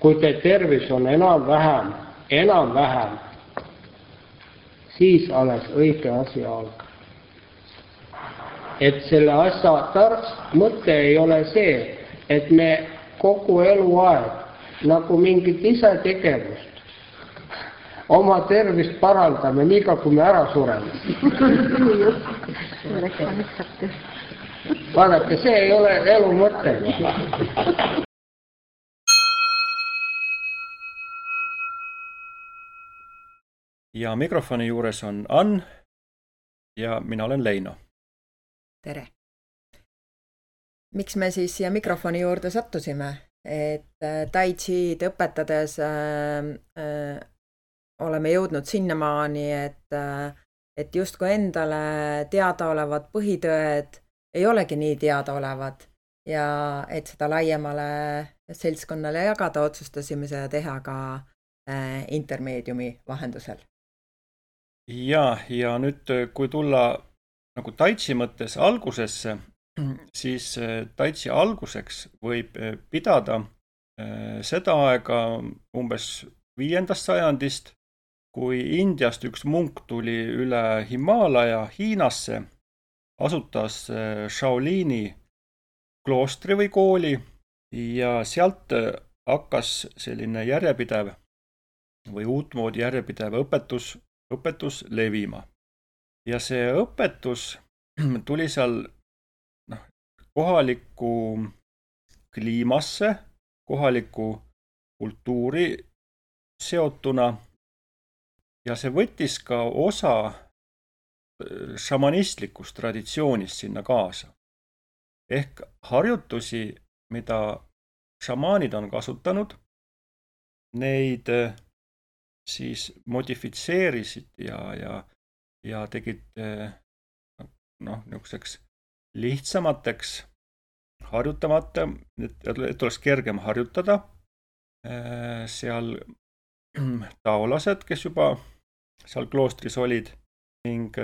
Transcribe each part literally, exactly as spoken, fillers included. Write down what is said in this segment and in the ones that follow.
kui te tervis on enam-vähem, enam-vähem, siis alles õige asi algab. Et selle asja tar- mõte ei ole see, et me kogu eluaeg nagu mingit ise tegevust oma tervist parandame, nii kui me ära sureme. Vaadake, see ei ole elu mõte. Ja mikrofoni juures on Ann ja mina olen Leino. Tere! Miks me siis siia mikrofoni juurde sattusime? Et Tai Chi'd õpetades äh, äh, oleme jõudnud sinnamaani, et, äh, et justkui endale teadaolevad põhitõed ei olegi nii teadaolevad ja et seda laiemale seltskonnale jagada otsustasime seda teha ka äh, intermeediumi vahendusel. Ja, ja nüüd kui tulla nagu Tai Chi mõttes algusesse, siis Tai Chi alguseks võib pidada seda aega umbes viiendast sajandist, kui Indiast üks munk tuli üle Himaalaja Hiinasse, asutas Shaolini kloostri või kooli ja sealt hakkas selline järjepidev või uutmoodi järjepidev õpetus õpetus levima. Ja see õpetus tuli seal noh, kohalikku kliimasse, kohalikku kultuuri seotuna ja see võttis ka osa šamanistlikust traditsioonist sinna kaasa. Ehk harjutusi, mida šamaanid on kasutanud, neid siis modifitseerisid ja, ja, ja tegid noh, niisuguseks lihtsamateks harjutamata, et, et oleks kergem harjutada. Seal taolased, kes juba seal kloostris olid ning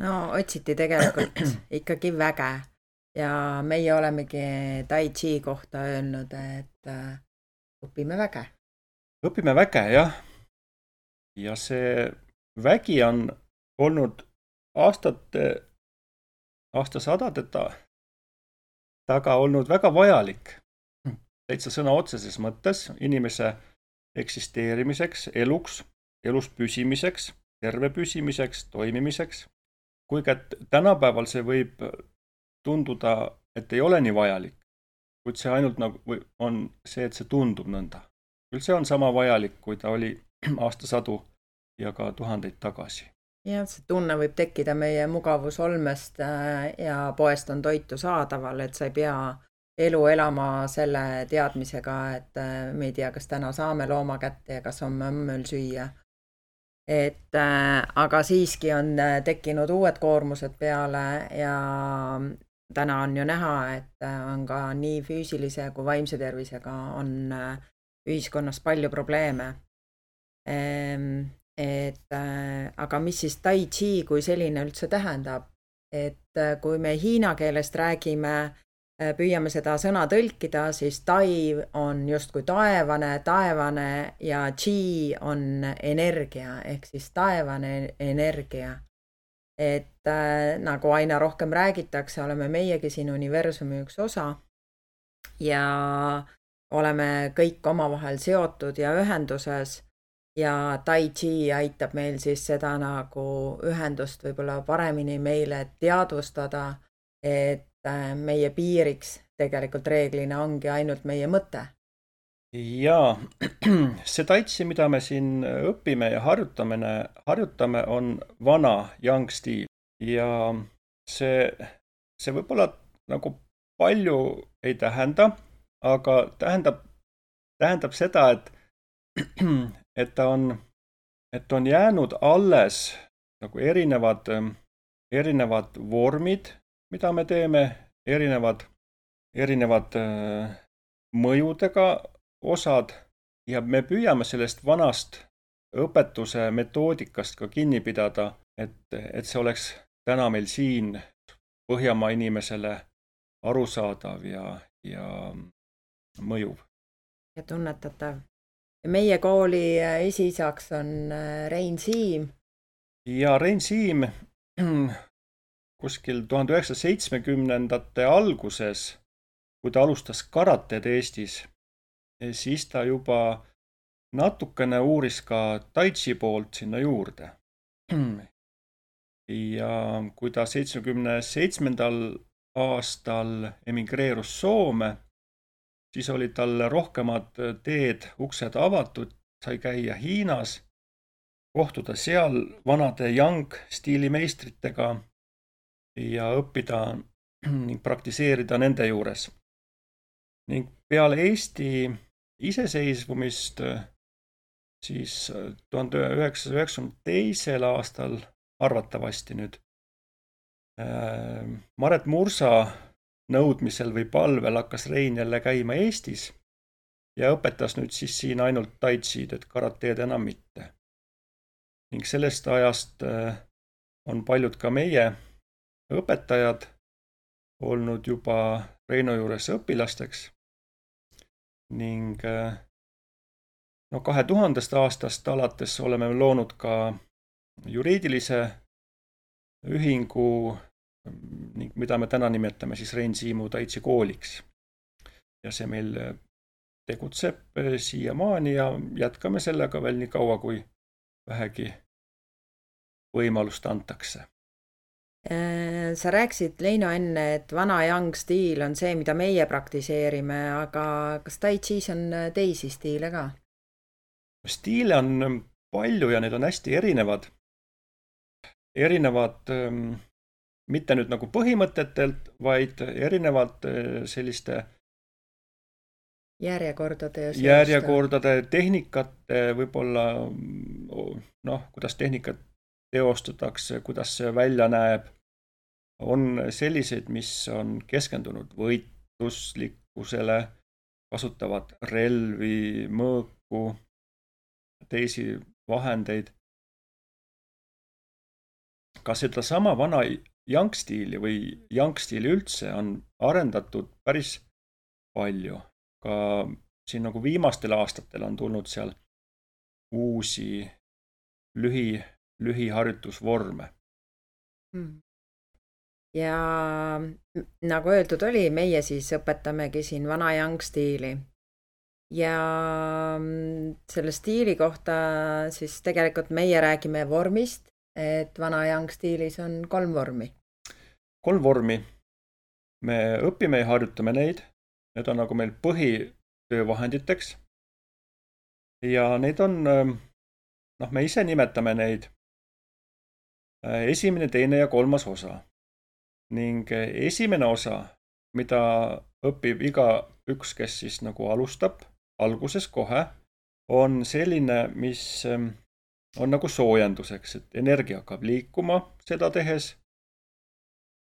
no otsiti tegelikult ikkagi väge ja meie olemegi Tai Chi kohta öelnud, et õpime väge. Õpime väge, jah. Ja see vägi on olnud aastate, aastasadade taga olnud väga vajalik. Täitsa sõna otseses mõttes inimese eksisteerimiseks, eluks, elus püsimiseks, terve püsimiseks, toimimiseks. Kuigi tänapäeval see võib tunduda, et ei ole nii vajalik, kuid see ainult nagu on see, et see tundub nõnda. Küll see on sama vajalik, kui ta oli aastasadu ja ka tuhandeid tagasi. Ja see tunne võib tekkida meie mugavusolmest ja poest on toitu saadaval, et sa ei pea elu elama selle teadmisega, et me ei tea, kas täna saame looma kätte ja kas on mömmöl süüa. Et, aga siiski on tekkinud uued koormused peale ja täna on ju näha, et on ka nii füüsilise kui vaimse tervisega on ühiskonnas palju probleeme. Et, aga mis siis Tai Chi kui selline üldse tähendab? Et kui me hiina keelest räägime, püüame seda sõna tõlkida, siis Tai on justkui taevane, taevane ja Chi on energia, ehk siis taevane energia. Et nagu aina rohkem räägitakse, oleme meiegi siin universumi üks osa ja oleme kõik omavahel seotud ja ühenduses ja Tai Chi aitab meil siis seda nagu ühendust võib-olla paremini meile teadvustada, et meie piiriks tegelikult reeglina ongi ainult meie mõte. Ja see Tai Chi, mida me siin õpime ja harjutame, harjutame on vana yang stiil ja see, see võib-olla nagu palju ei tähenda, aga tähendab, tähendab seda, et, et ta on, et on jäänud alles nagu erinevad, erinevad vormid, mida me teeme, erinevad, erinevad mõjudega osad ja me püüame sellest vanast õpetuse metoodikast ka kinni pidada, et, et see oleks täna meil siin Põhjamaa inimesele arusaadav ja, ja mõjuv. ja tunnetatav. Ja meie kooli esiisaks on Rein Siim. Ja Rein Siim kuskil tuhande üheksasaja seitsmekümnendate alguses, kui ta alustas karated Eestis, siis ta juba natukene uuris ka tai chi poolt sinna juurde. Ja kui ta seitsmekümne seitsmendal aastal emigreerus Soome, siis oli talle rohkemad teed, uksed avatud, sai käia Hiinas, kohtuda seal vanade Yang-stiilimeistritega ja õppida ning praktiseerida nende juures. Ning peale Eesti iseseisvumist siis tuhande üheksasaja üheksakümne teisel aastal arvatavasti nüüd Maret Mursa nõudmisel või palvel hakkas Rein jälle käima Eestis ja õpetas nüüd siis siin ainult tai chi'd, et karateed enam mitte. Ning sellest ajast on paljud ka meie õpetajad olnud juba Reino juures õpilasteks ning no kahe tuhandest aastast alates oleme loonud ka juriidilise ühingu, ning mida me täna nimetame siis Rein Siimu tai chi kooliks. Ja see meil tegutseb siiamaani ja jätkame sellega veel nii kaua, kui vähegi võimalust antakse. Sa rääkisid, Leino, enne, et vana Yang stiil on see, mida meie praktiseerime, aga kas tai chi's on teisi stiile ka? Stiile on palju ja need on hästi erinevad. Erinevad mitte nüüd nagu põhimõtetelt, vaid erinevad selliste järjekordade, ja järjekordade tehnikate, võib-olla noh, kuidas tehnikat teostatakse, kuidas see välja näeb. On selliseid, mis on keskendunud võitluslikkusele, kasutavad relvi, mõõku, teisi vahendeid. Ka seda sama vana Yang-stiili või Yang-stiili üldse on arendatud päris palju. Ka siin nagu viimastel aastatel on tulnud seal uusi lühi, lühiharjutusvorme. Hmm. Ja nagu öeldud oli, meie siis õpetamegi siin vana Yang-stiili. Ja selle stiili kohta siis tegelikult meie räägime vormist, et vana Yang-stiilis on kolm vormi. Kolm vormi. Me õpime ja harjutame neid. Need on nagu meil põhitöövahenditeks. Ja neid on, noh, me ise nimetame neid esimene, teine ja kolmas osa. Ning esimene osa, mida õpib iga üks, kes siis nagu alustab alguses kohe, on selline, mis on nagu soojenduseks, et energia hakkab liikuma seda tehes,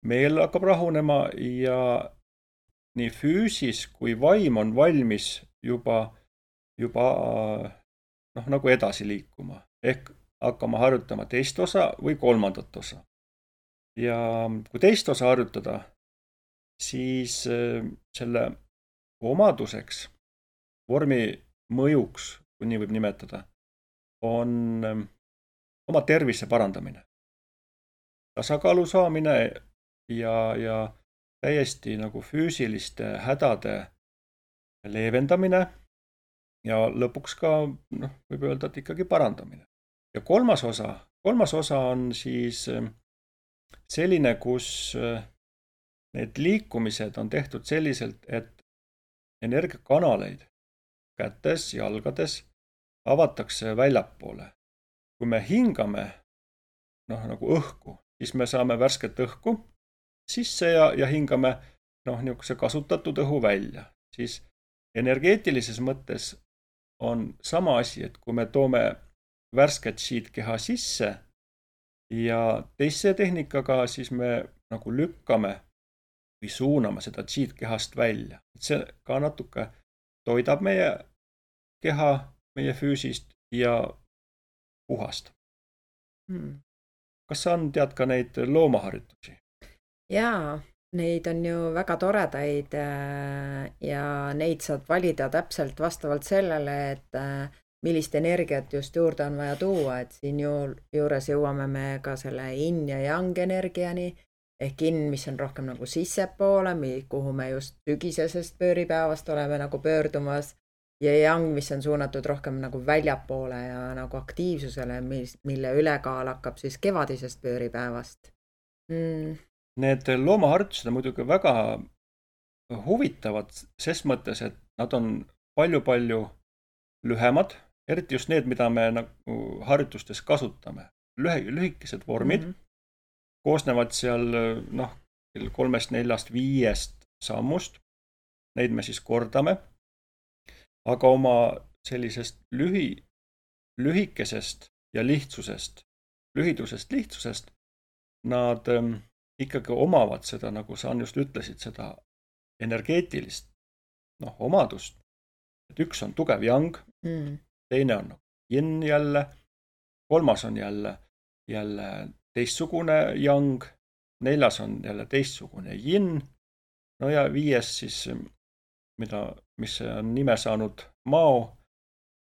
meel hakkab rahunema ja nii füüsis kui vaim on valmis juba, juba noh, nagu edasi liikuma. Ehk hakkama harjutama teist osa või kolmandat osa. Ja kui teist osa harjutada, siis selle omaduseks, vormi mõjuks, kui nii võib nimetada, on oma tervise parandamine. Tasakaalu saamine ja, ja täiesti nagu füüsiliste hädade leevendamine ja lõpuks ka, noh, võib öelda, et ikkagi parandamine. Ja kolmas osa, kolmas osa on siis selline, kus need liikumised on tehtud selliselt, et energiakanaleid kätes, jalgades avatakse väljapoole. Kui me hingame noh, nagu õhku, siis me saame värsket õhku sisse ja, ja hingame noh, niisuguse kasutatud õhu välja. Siis energeetilises mõttes on sama asi, et kui me toome värsket siit keha sisse ja teise tehnikaga siis me nagu lükkame või suuname seda tsiit kehast välja. See ka natuke toidab meie keha, meie füüsist ja puhastab. Hmm. Kas sa on, tead ka neid loomaharjutusi? Jaa, Neid on ju väga toredaid ja neid saad valida täpselt vastavalt sellele, et millist energiat just juurde on vaja tuua, et siin juures jõuame me ka selle yin ja yang energiani, ehk yin, mis on rohkem nagu sissepoole, kuhu me just sügisesest pööripäevast oleme nagu pöördumas, ja yang, mis on suunatud rohkem nagu väljapoole ja nagu aktiivsusele, mille ülekaal hakkab siis kevadisest pööripäevast. Mm. Need loomaharjutused on muidugi väga huvitavad ses mõttes, et nad on palju-palju lühemad, eriti just need, mida me nagu harjutustes kasutame. Lühe, lühikesed vormid mm-hmm. koosnevad seal noh, kolmest, neljast, viiest sammust. Neid me siis kordame. Aga oma sellisest lühi, lühikesest ja lihtsusest, lühidusest, lihtsusest nad ikkagi omavad seda, nagu sa just ütlesid, seda energeetilist noh, omadust. Et üks on tugev yang, mm. teine on yin jälle, kolmas on jälle, jälle teistsugune yang, neljas on jälle teistsugune yin, no ja viies siis, mida, mis on nime saanud mao,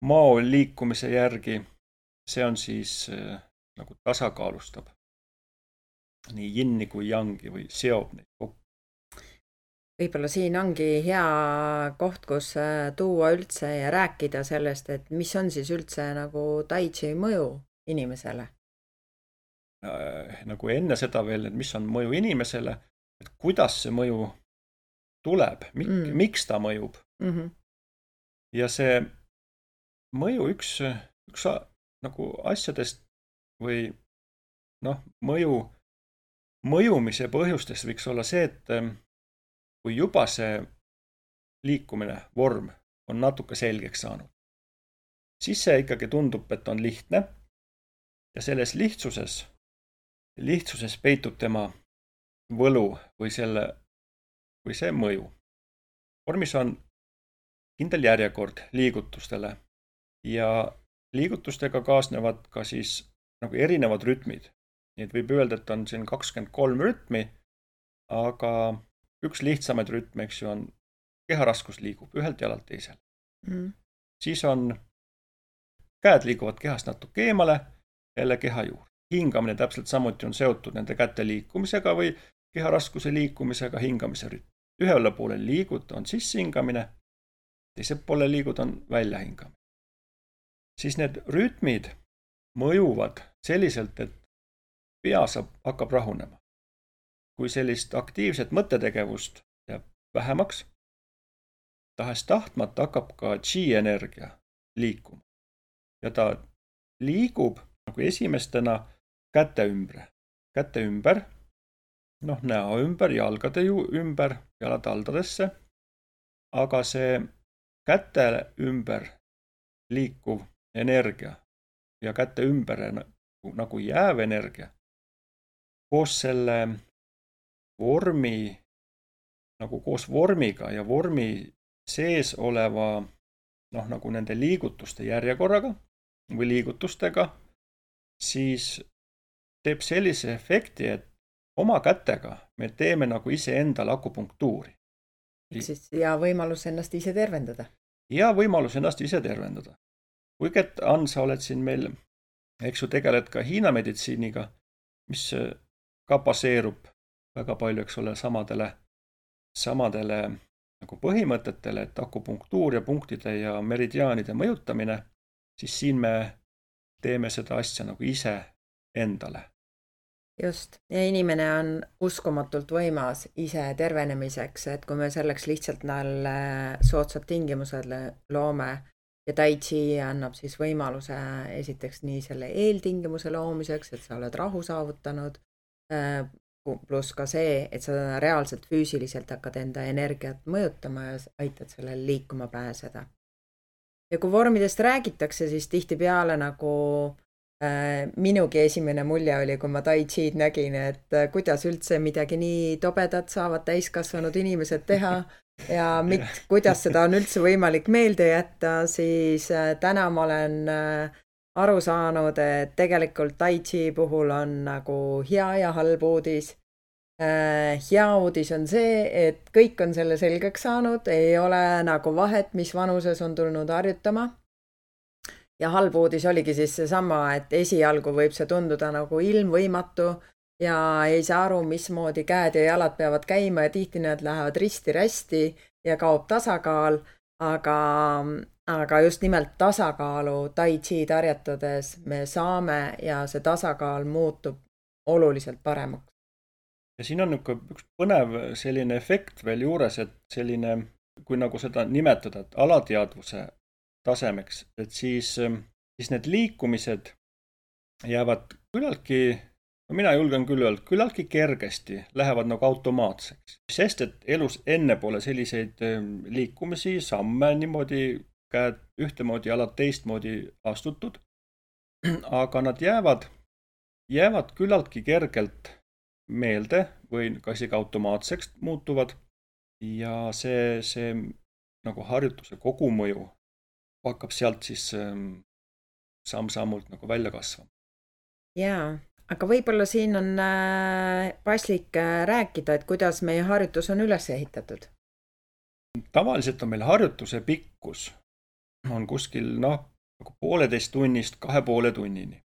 mao liikumise järgi, see on siis nagu tasakaalustab nii jinni kui yangi või seob neid kokku. Võib-olla siin ongi hea koht, kus tuua üldse ja rääkida sellest, et mis on siis üldse nagu tai chi mõju inimesele? Nagu enne seda veel, et mis on mõju inimesele, et kuidas see mõju tuleb, mik, mm. miks ta mõjub. Mm-hmm. Ja see mõju üks, üks nagu asjadest või noh, mõju Mõjumise põhjustest võiks olla see, et kui juba see liikumine, vorm on natuke selgeks saanud, siis see ikkagi tundub, et on lihtne ja selles lihtsuses, lihtsuses peitub tema võlu või, selle, või see mõju. Vormis on kindel järjekord liigutustele ja liigutustega kaasnevad ka siis nagu erinevad rütmid. Nii et võib öelda, et on siin kakskümmend kolm rütmi, aga üks lihtsamaid rütme, eks ju, on keharaskus liigub ühelt jalalt teisele. Mm. Siis on käed liiguvad kehast natuke eemale, jälle keha juurde. Hingamine täpselt samuti on seotud nende käte liikumisega või keharaskuse liikumisega, hingamise rütm. Ühele poole liigud on sissehingamine, teise poole liigud on väljahingamine. Siis need rütmid mõjuvad selliselt, et pea saab, hakkab rahunema. Kui sellist aktiivset mõttetegevust jääb vähemaks, tahes tahtmata hakkab ka chi energia liikuma. Ja ta liigub nagu esimestena käte ümber. Käte ümber, noh, näo ümber, jalgade ümber, jalad aldadesse. Aga see käte ümber liikuv energia ja käte ümber nagu, nagu jääv energia koos selle vormi, nagu koos vormiga ja vormi sees oleva, noh, nagu nende liigutuste järjekorraga või liigutustega, siis teeb sellise efekti, et oma kätega me teeme nagu ise endale akupunktuuri. Ja võimalus ennast ise tervendada. Ja võimalus ennast ise tervendada. Kuigi, et Ann, sa oled siin meil, eks ju, tegeled ka Hiina meditsiiniga, mis ka baseerub väga palju, eks ole, samadele, samadele nagu põhimõtetele, et akupunktuur ja punktide ja meridiaanide mõjutamine, siis siin me teeme seda asja nagu ise endale. Just, ja inimene on uskumatult võimas ise tervenemiseks, et kui me selleks lihtsalt näile soodsad tingimused loome ja tai chi annab siis võimaluse esiteks nii selle eeltingimuse loomiseks, et sa oled rahu saavutanud, pluss ka see, et sa reaalselt füüsiliselt hakkad enda energiat mõjutama ja aitad sellel liikuma pääseda. Ja kui vormidest räägitakse, siis tihtipeale nagu äh, minugi esimene mulje oli, kui ma tai chi'd nägin, et äh, kuidas üldse midagi nii tobedat saavad täiskasvanud inimesed teha ja mit, kuidas seda on üldse võimalik meelde jätta, siis äh, täna ma olen äh, aru saanud, et tegelikult tai chi puhul on nagu hea ja halb uudis Hea uudis on see, et kõik on selle selgeks saanud, ei ole nagu vahet, mis vanuses on tulnud harjutama. Ja halb uudis oligi siis seesama, et esialgu võib see tunduda nagu ilmvõimatu ja ei saa aru, mismoodi käed ja jalad peavad käima ja tihti need lähevad risti-rästi ja kaob tasakaal, aga, aga just nimelt tasakaalu tai chi tarjatades me saame ja see tasakaal muutub oluliselt paremaks. Ja siin on üks põnev selline efekt veel juures, et selline, kui nagu seda nimetada, et alateadvuse tasemeks, et siis, siis need liikumised jäävad küllaltki, no mina julgen küll öelda, küllaltki kergesti lähevad nagu automaatseks. Sest, et elus enne pole selliseid liikumisi, samme niimoodi, käed ühtemoodi, jalad teistmoodi astutud, aga nad jäävad, jäävad küllaltki kergelt meelde või ka isegi automaatseks muutuvad ja see, see nagu harjutuse kogumõju hakkab sealt siis samm-sammult nagu välja kasvama. Jaa, aga võib-olla siin on paslik rääkida, et kuidas meie harjutus on üles ehitatud. Tavaliselt on meil harjutuse pikkus on kuskil noh, nagu pooleteist tunnist kahe poole tunnini.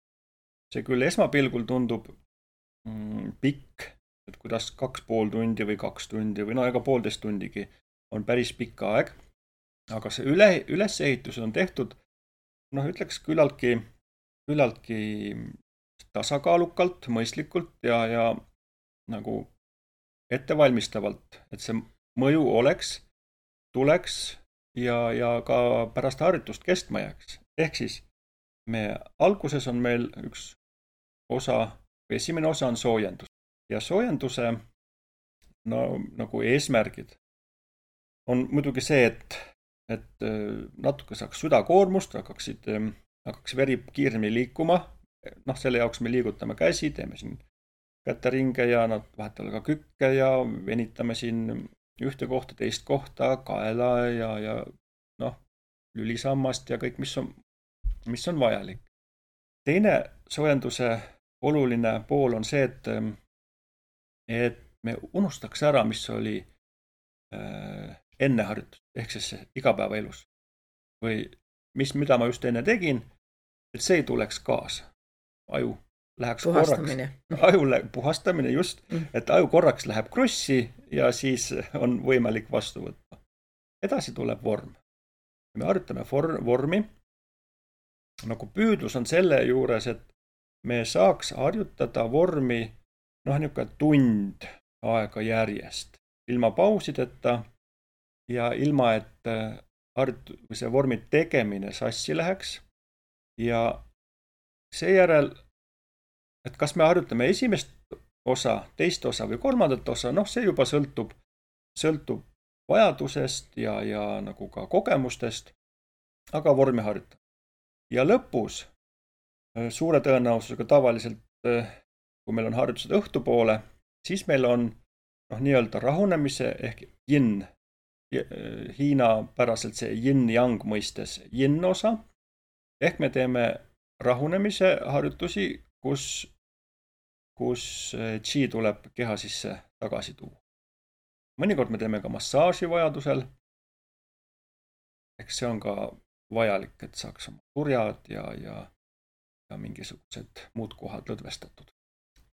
See küll esmapilgul tundub mm, pikk, et kuidas kaks pool tundi või kaks tundi või no ega poolteist tundigi on päris pikk aeg. Aga see üle, ülesehitus on tehtud, noh ütleks küllaltki, küllaltki tasakaalukalt, mõistlikult ja, ja nagu ettevalmistavalt, et see mõju oleks, tuleks ja, ja ka pärast harjutust kestma jääks. Ehk siis me alguses on meil üks osa, esimene osa on soojendus ja soojenduse no, nagu eesmärgid on muidugi see, et et natuke saaks südakoormust, hakkaksid, hakkaks veri kiiremini liikuma. Noh, selle jaoks me liigutame käsi, teeme siin käteringe ja nad vahetavad ka kükke ja venitame siin ühte kohta, teist kohta, kaela ja, ja noh, lülisammast ja kõik, mis on, mis on vajalik. Teine soojenduse oluline pool on see, et, et me unustaks ära, mis oli äh, enne harjutust, ehk siis igapäevaelus. Või mis, mida ma just enne tegin, et see ei tuleks kaasa. Aju läheks puhastamine. korraks. Aju lä- puhastamine just, et aju korraks läheb krossi ja siis on võimalik vastu võtta. Edasi tuleb vorm. Me harjutame for- vormi. Nagu püüdlus on selle juures, et me saaks harjutada vormi noh, niisugune tund aega järjest. Ilma pausideta ja ilma, et harjut- või see vormi tegemine sassi läheks ja seejärel, et kas me harjutame esimest osa, teist osa või kolmandat osa, noh see juba sõltub, sõltub vajadusest ja, ja nagu ka kogemustest, aga vormi harjutada. Ja lõpus suure tõenäosusega tavaliselt, kui meil on harjutused õhtupoole, siis meil on noh, nii-öelda rahunemise ehk yin, Hiina päraselt see yin-yang mõistes yin osa, ehk me teeme rahunemise harjutusi, kus, kus chi tuleb keha sisse tagasi tuua. Mõnikord me teeme ka massaaži vajadusel, ehk see on ka vajalik, et saaks oma turjad ja, ja, ja mingisugused muud kohad lõdvestatud.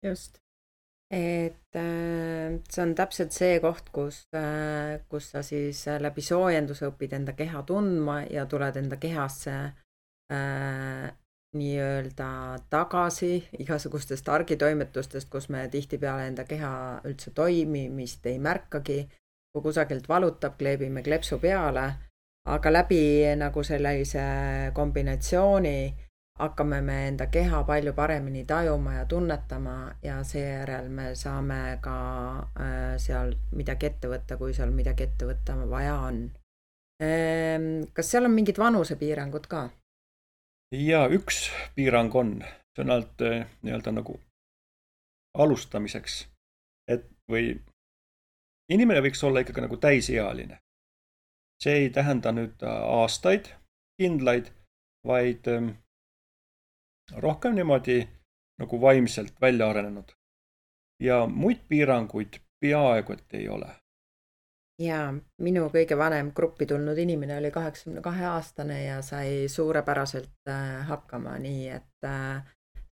Just. Et see on täpselt see koht, kus, kus sa siis läbi soojenduse õpid enda keha tundma ja tuled enda kehasse äh, nii-öelda tagasi igasugustest argitoimetustest, kus me tihtipeale enda keha üldse toimimist ei märkagi, kui kusagilt valutab, kleebime klepsu peale, aga läbi nagu sellise kombinatsiooni hakkame me enda keha palju paremini tajuma ja tunnetama ja seejärel me saame ka äh, seal midagi ette võtta, kui seal midagi ette võtta vaja on. Ähm, kas seal on mingid vanusepiirangud ka? Ja üks piirang on, see on alt nii-öelda nagu alustamiseks, et või inimene võiks olla ikkagi nagu täisealine. See ei tähenda nüüd aastaid, kindlaid, vaid rohkem niimoodi nagu vaimselt välja arenenud. ja muid piiranguid peaaegu et ei ole. Ja minu kõige vanem gruppi tulnud inimene oli kaheksakümne kahe aastane ja sai suurepäraselt hakkama, nii et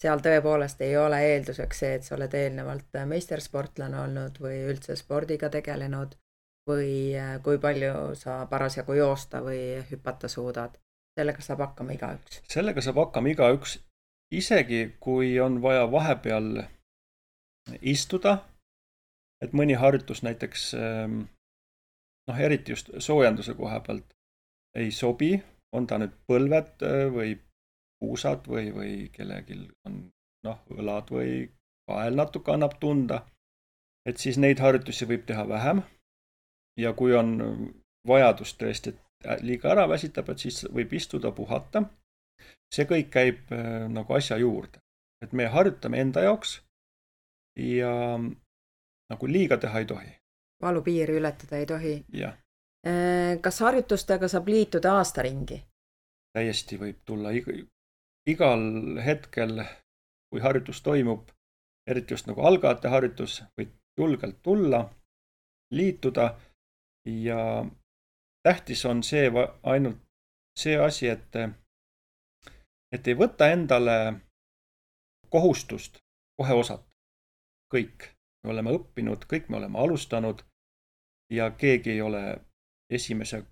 seal tõepoolest ei ole eelduseks see, et sa oled eelnevalt meistersportlane olnud või üldse spordiga tegelenud või kui palju sa parasjagu joosta või hüpata suudad. Sellega saab hakkama igaüks. Sellega saab hakkama igaüks, isegi kui on vaja vahepeal istuda, et mõni harjutus näiteks noh, eriti just soojenduse koha pealt ei sobi, on ta nüüd põlved või puusad või, või kellelgi on noh, õlad või kael natuke annab tunda, et siis neid harjutusi võib teha vähem ja kui on vajadus tõesti, et liiga ära väsitab, et siis võib istuda, puhata. See kõik käib nagu asja juurde, et me harjutame enda jaoks ja nagu liiga teha ei tohi. Valupiiri ületada ei tohi. Ja. Kas harjutustega saab liituda aastaringi? Täiesti võib tulla igal hetkel, kui harjutus toimub, eriti just nagu algajate harjutus, võid julgelt tulla, liituda ja tähtis on see ainult see asi, et, et ei võta endale kohustust kohe osata. Kõik me oleme õppinud, kõik me oleme alustanud ja keegi ei ole esimese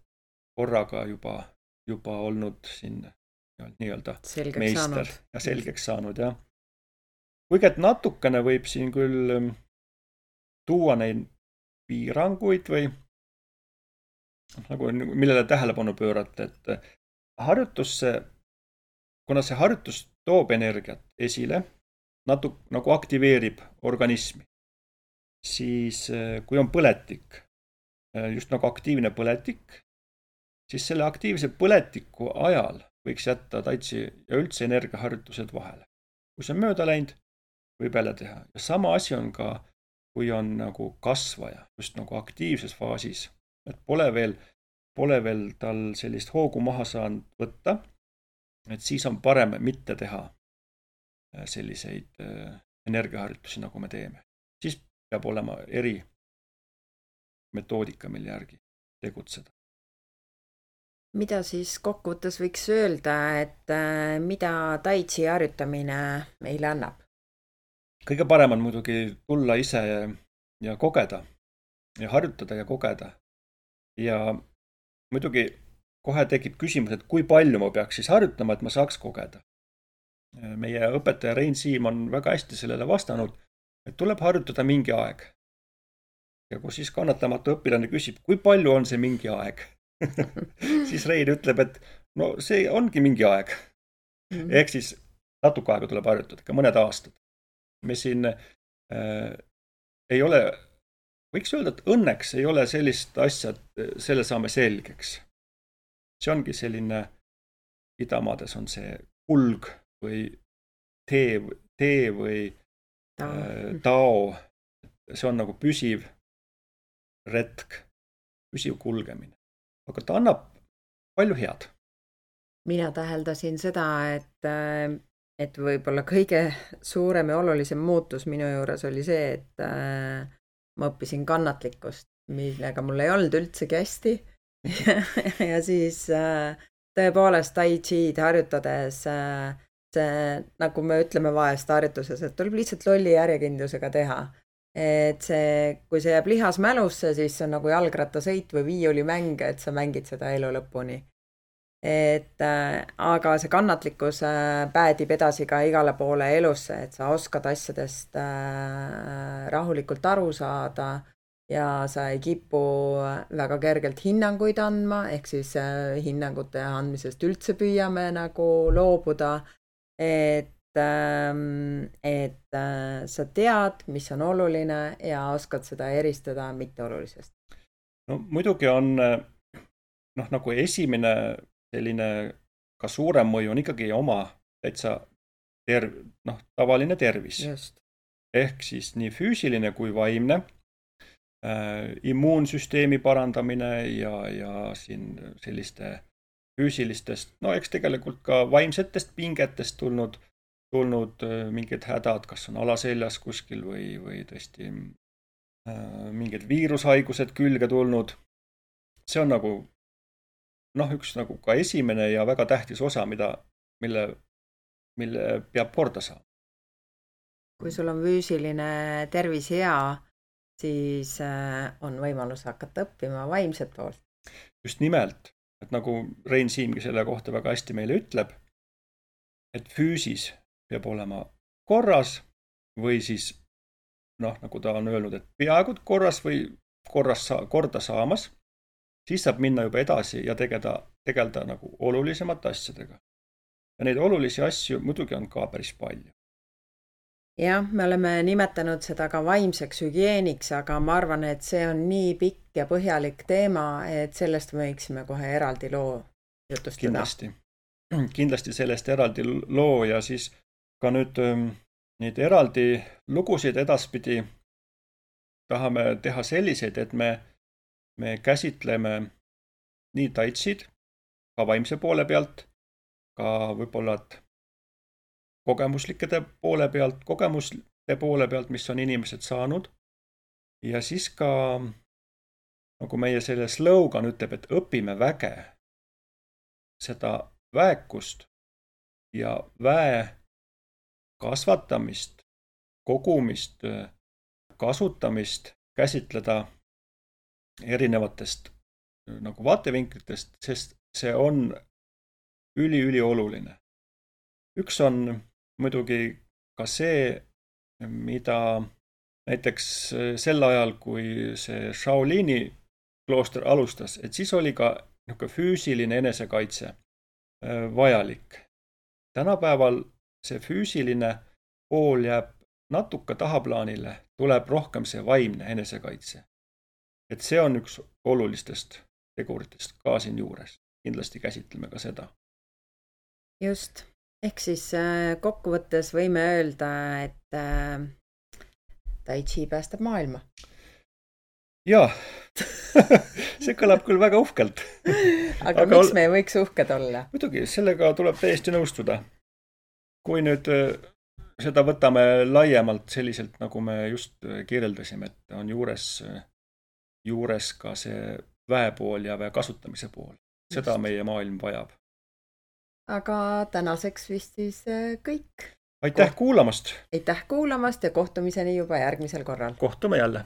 korraga juba, juba olnud siin nii-öelda selgeks meister saanud. Ja selgeks saanud. Ja. Kuigi et natukene võib siin küll tuua neid piiranguid või nagu, millele tähelepanu pöörata, et harjutusse, kuna see harjutus toob energiat esile, natuke nagu aktiveerib organismi, siis kui on põletik, just nagu aktiivne põletik, siis selle aktiivse põletiku ajal võiks jätta taitsi ja üldse energiaharjutused vahele. Kui see on mööda läinud, võib jälle teha. Ja sama asi on ka, kui on nagu kasvaja, just nagu aktiivses faasis, et pole veel, pole veel tal sellist hoogu maha saanud võtta, et siis on parem mitte teha selliseid energiaharjutusi, nagu me teeme. Siis peab olema eri metoodika, mille järgi tegutseda. Mida siis kokkuvõttes võiks öelda, et mida tai chi harjutamine meile annab? Kõige parem on muidugi tulla ise ja kogeda ja harjutada ja kogeda. Ja muidugi kohe tekib küsimus, et kui palju ma peaks siis harjutama, et ma saaks kogeda. Meie õpetaja Rein Siim on väga hästi sellele vastanud, et tuleb harjutada mingi aeg. Ja kui siis kannatamatu õpilane küsib, kui palju on see mingi aeg, siis Rein ütleb, et no see ongi mingi aeg. Mm-hmm. Ehk siis natuke aega tuleb harjutada, ka mõned aastad. Me siin äh, ei ole, võiks öelda, et õnneks ei ole sellist asja, et selle saame selgeks. See ongi selline, idamaades on see kulg või tee, tee või äh, tao. See on nagu püsiv retk, püsiv kulgemine. Aga ta annab palju head. Mina täheldasin seda, et, et võib-olla kõige suurem ja olulisem muutus minu juures oli see, et äh, ma õppisin kannatlikkust, millega mul ei olnud üldsegi hästi. ja siis äh, tõepoolest tai chi'd harjutades äh, see, nagu me ütleme vahest harjutuses, et tuleb lihtsalt lolli järjekindlusega teha. Et see, kui see jääb lihas mälusse, siis see on nagu jalgrattasõit või viiulimäng, et sa mängid seda elu lõpuni. Et, äh, aga see kannatlikkus äh, päädib edasi ka igale poole elusse, et sa oskad asjadest äh, rahulikult aru saada ja sa ei kipu väga kergelt hinnanguid andma, ehk siis äh, hinnangute andmisest üldse püüame nagu loobuda, et et sa tead, mis on oluline ja oskad seda eristada mitteolulisest. No muidugi on noh, nagu esimene selline ka suurem mõju on ikkagi oma täitsa terv, noh, tavaline tervis. Just. Ehk siis nii füüsiline kui vaimne, äh, immuunsüsteemi parandamine ja, ja siin selliste füüsilistest, no eks tegelikult ka vaimsetest pingetest tulnud tulnud mingid hädad, kas on alaseljas kuskil või, või tõesti äh, mingid viirushaigused külge tulnud. See on nagu, noh, üks nagu ka esimene ja väga tähtis osa, mida, mille, mille peab korda saama. Kui sul on füüsiline tervis hea, siis äh, on võimalus hakata õppima vaimset poolt. Just nimelt, et nagu Rein Siimgi selle kohta väga hästi meile ütleb, et füüsis peab olema korras või siis, noh, nagu ta on öelnud, et peaaegu korras või korras sa, korda saamas, siis saab minna juba edasi ja tegeleda, tegeleda nagu olulisemate asjadega. Ja neid olulisi asju muidugi on ka päris palju. Jah, me oleme nimetanud seda ka vaimseks hügieeniks, aga ma arvan, et see on nii pikk ja põhjalik teema, et sellest võiksime kohe eraldi loo jutustada. Kindlasti. Kindlasti sellest eraldi loo ja siis ka nüüd neid eraldi lugusid edaspidi tahame teha selliseid, et me, me käsitleme nii taitsid, ka vaimse poole pealt, ka võib-olla kogemuslikede poole pealt, kogemuste poole pealt, mis on inimesed saanud. Ja siis ka, nagu meie selle slogan ütleb, et õpime väge, seda väekust ja väe kasvatamist, kogumist, kasutamist käsitleda erinevatest nagu vaatevinklitest, sest see on üli-üli oluline. Üks on muidugi ka see, mida näiteks sel ajal, kui see Shaolini klooster alustas, et siis oli ka füüsiline enesekaitse vajalik. Tänapäeval see füüsiline pool jääb natuke tahaplaanile, tuleb rohkem see vaimne enesekaitse. Et see on üks olulistest teguritest ka siin juures. Kindlasti käsitleme ka seda. Just. Ehk siis kokkuvõttes võime öelda, et Tai Chi päästab maailma. Jaa, see kõlab küll väga uhkelt. Aga, Aga miks me ei võiks uhked olla? Muidugi, sellega tuleb täiesti nõustuda. Kui nüüd seda võtame laiemalt selliselt, nagu me just kirjeldasime, et on juures, juures ka see väepool ja väe kasutamise pool. Seda just. Meie maailm vajab. Aga tänaseks vist siis kõik. Aitäh kuulamast! Aitäh kuulamast ja kohtumiseni juba järgmisel korral. Kohtume jälle!